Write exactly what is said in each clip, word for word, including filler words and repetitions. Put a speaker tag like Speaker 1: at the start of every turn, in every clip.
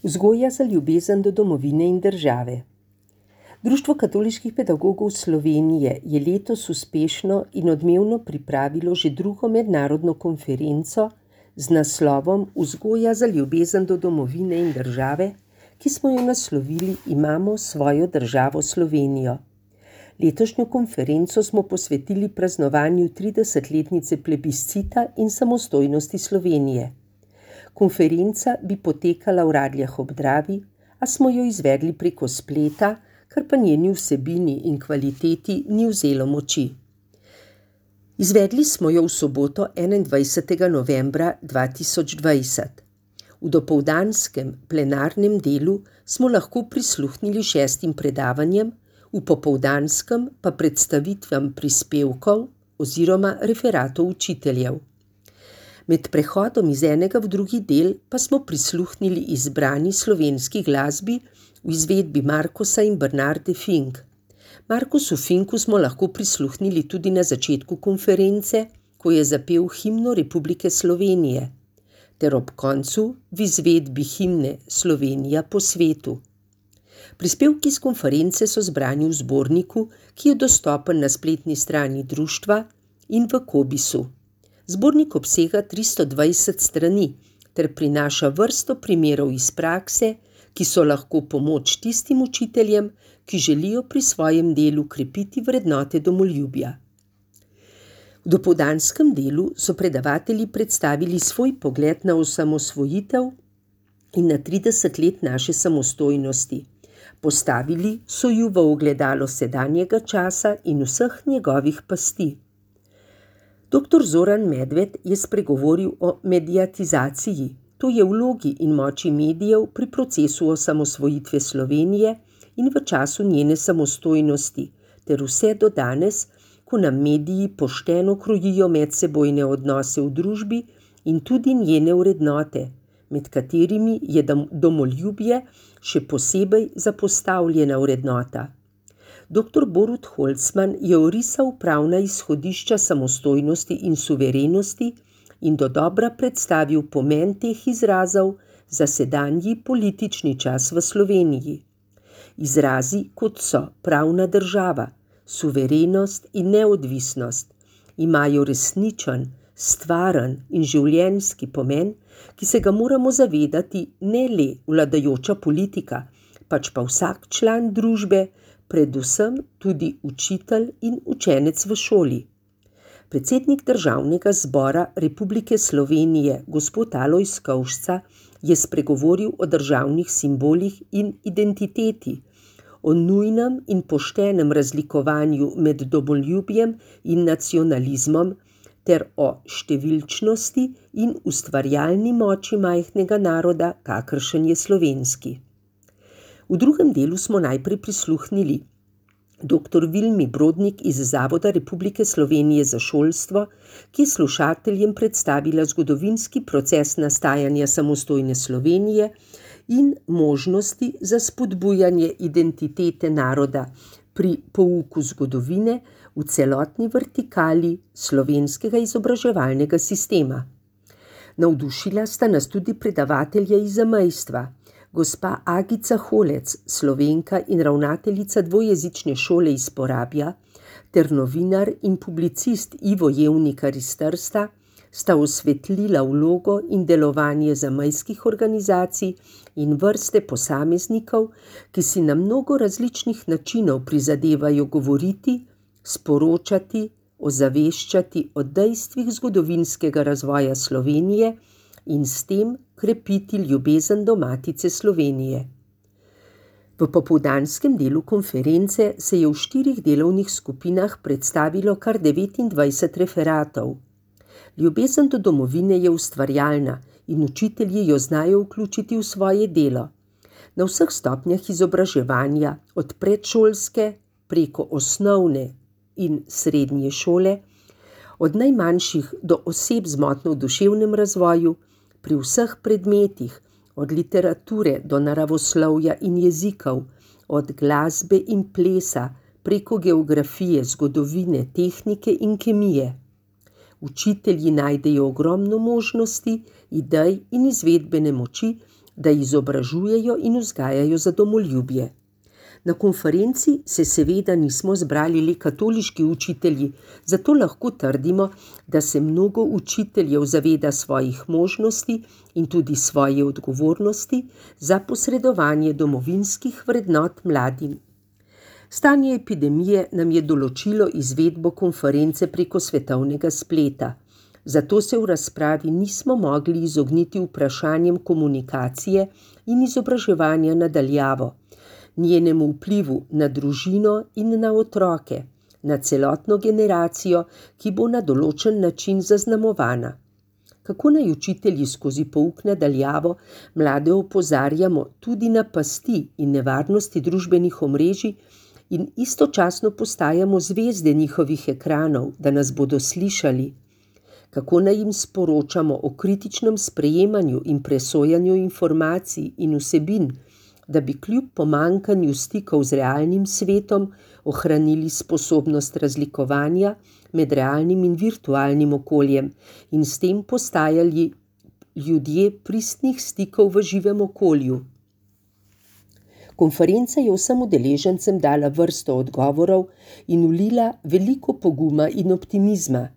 Speaker 1: Vzgoja za ljubezen do domovine in države. Društvo katoliških pedagogov Slovenije je letos uspešno in odmevno pripravilo že drugo mednarodno konferenco z naslovom Vzgoja za ljubezen do domovine in države, ki smo jo naslovili Imamo svojo državo Slovenijo. Letošnjo konferenco smo posvetili praznovanju tridesetletnice plebiscita in samostojnosti Slovenije. Konferenca bi potekala v Radljah ob Dravi, a smo jo izvedli preko spleta, kar pa njeni vsebini in kvaliteti ni vzelo moči. Izvedli smo jo v soboto enaindvajsetega novembra dva tisoč dvajset. V dopoldanskem plenarnem delu smo lahko prisluhnili šestim predavanjem, v popoldanskem pa predstavitvam prispevkov oziroma referatov učiteljev. Med prehodom iz enega v drugi del pa smo prisluhnili izbrani slovenski glasbi v izvedbi Markosa in Bernarde Fink. Markosu Finku smo lahko prisluhnili tudi na začetku konference, ko je zapel himno Republike Slovenije, ter ob koncu v izvedbi himne Slovenija po svetu. Prispevki z konference so zbrani v zborniku, ki je dostopen na spletni strani društva in v Kobisu. Zbornik obsega tristo dvajset strani ter prinaša vrsto primerov iz prakse, ki so lahko pomoč tistim učiteljem, ki želijo pri svojem delu krepiti vrednote domoljubja. V dopoldanskem delu so predavatelji predstavili svoj pogled na osamosvojitev in na trideset let naše samostojnosti. Postavili so ju v ogledalo sedanjega časa in vseh njegovih pasti. Doktor Zoran Medved je spregovoril o mediatizaciji, to je vlogi in moči medijev pri procesu osamosvojitve Slovenije in v času njene samostojnosti, ter vse do danes, ko nam mediji pošteno krojijo medsebojne odnose v družbi in tudi njene vrednote, med katerimi je domoljubje še posebej zapostavljena vrednota. Doktor Borut Holcman je orisal pravna izhodišča samostojnosti in suverenosti in dodobra predstavil pomen teh izrazov za sedanji politični čas v Sloveniji. Izrazi, kot so pravna država, suverenost in neodvisnost, imajo resničen, stvaren in življenjski pomen, ki se ga moramo zavedati ne le vladajoča politika, pač pa vsak član družbe, predvsem tudi učitelj in učenec v šoli. Predsednik Državnega zbora Republike Slovenije, gospod Alojz Kovšca, je spregovoril o državnih simbolih in identiteti, o nujnem in poštenem razlikovanju med domoljubjem in nacionalizmom ter o številčnosti in ustvarjalni moči majhnega naroda, kakršen je slovenski. V drugem delu smo najprej prisluhnili doktor Vilmi Brodnik iz Zavoda Republike Slovenije za šolstvo, ki je slušateljem predstavila zgodovinski proces nastajanja samostojne Slovenije in možnosti za spodbujanje identitete naroda pri pouku zgodovine v celotni vertikali slovenskega izobraževalnega sistema. Navdušila sta nas tudi predavatelja iz zamejstva, gospa Agica Holec, Slovenka in ravnateljica dvojezične šole iz Porabja, ter novinar in publicist Ivo Jevnikar iz Trsta, sta osvetlila vlogo in delovanje zamejskih organizacij in vrste posameznikov, ki si na mnogo različnih načinov prizadevajo govoriti, sporočati, ozaveščati o dejstvih zgodovinskega razvoja Slovenije in s tem krepiti ljubezen do Matice Slovenije. V popoldanskem delu konference se je v štirih delovnih skupinah predstavilo kar devetindvajset referatov. Ljubezen do domovine je ustvarjalna in učitelji jo znajo vključiti v svoje delo. Na vseh stopnjah izobraževanja, od predšolske preko osnovne in srednje šole, od najmanjših do oseb z motnjo v duševnem razvoju, pri vseh predmetih, od literature do naravoslovja in jezikov, od glasbe in plesa preko geografije, zgodovine, tehnike in kemije. Učitelji najdejo ogromno možnosti, idej in izvedbene moči da izobražujejo in vzgajajo za domoljubje. Na konferenci se seveda nismo zbrali le katoliški učitelji, zato lahko trdimo, da se mnogo učiteljev zaveda svojih možnosti in tudi svoje odgovornosti za posredovanje domovinskih vrednot mladim. Stanje epidemije nam je določilo izvedbo konference preko svetovnega spleta, zato se v razpravi nismo mogli izogniti vprašanjem komunikacije in izobraževanja na daljavo, njenemu vplivu na družino in na otroke, na celotno generacijo, ki bo na določen način zaznamovana. Kako naj učitelji skozi pouk na daljavo mlade opozarjamo tudi na pasti in nevarnosti družbenih omrežij in istočasno postajamo zvezde njihovih ekranov, da nas bodo slišali? Kako naj jim sporočamo o kritičnem sprejemanju in presojanju informacij in vsebin, da bi kljub pomanjkanju stikov z realnim svetom ohranili sposobnost razlikovanja med realnim in virtualnim okoljem in s tem postajali ljudje pristnih stikov v živem okolju? Konferenca je vsem udeležencem dala vrsto odgovorov in vlila veliko poguma in optimizma.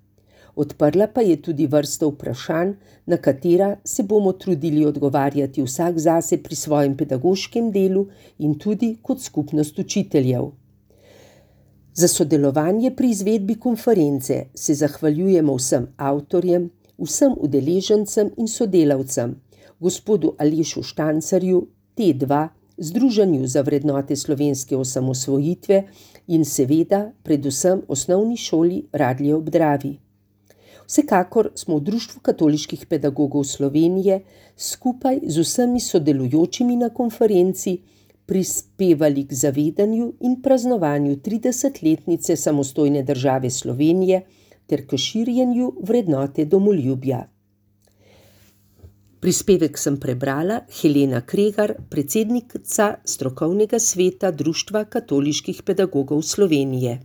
Speaker 1: Odprla pa je tudi vrsto vprašanj, na katera se bomo trudili odgovarjati vsak zase pri svojem pedagoškem delu in tudi kot skupnost učiteljev. Za sodelovanje pri izvedbi konference se zahvaljujemo vsem avtorjem, vsem udeležencem in sodelavcem, gospodu Alešu Štancarju, T dva, Združenju za vrednote slovenske osamosvojitve in seveda predvsem osnovni šoli Radlje ob Dravi. Vsekakor smo v Društvu katoliških pedagogov Slovenije skupaj z vsemi sodelujočimi na konferenci prispevali k zavedanju in praznovanju tridesetletnice samostojne države Slovenije ter k širjenju vrednote domoljubja. Prispevek sem prebrala Helena Kregar, predsednica strokovnega sveta Društva katoliških pedagogov Slovenije.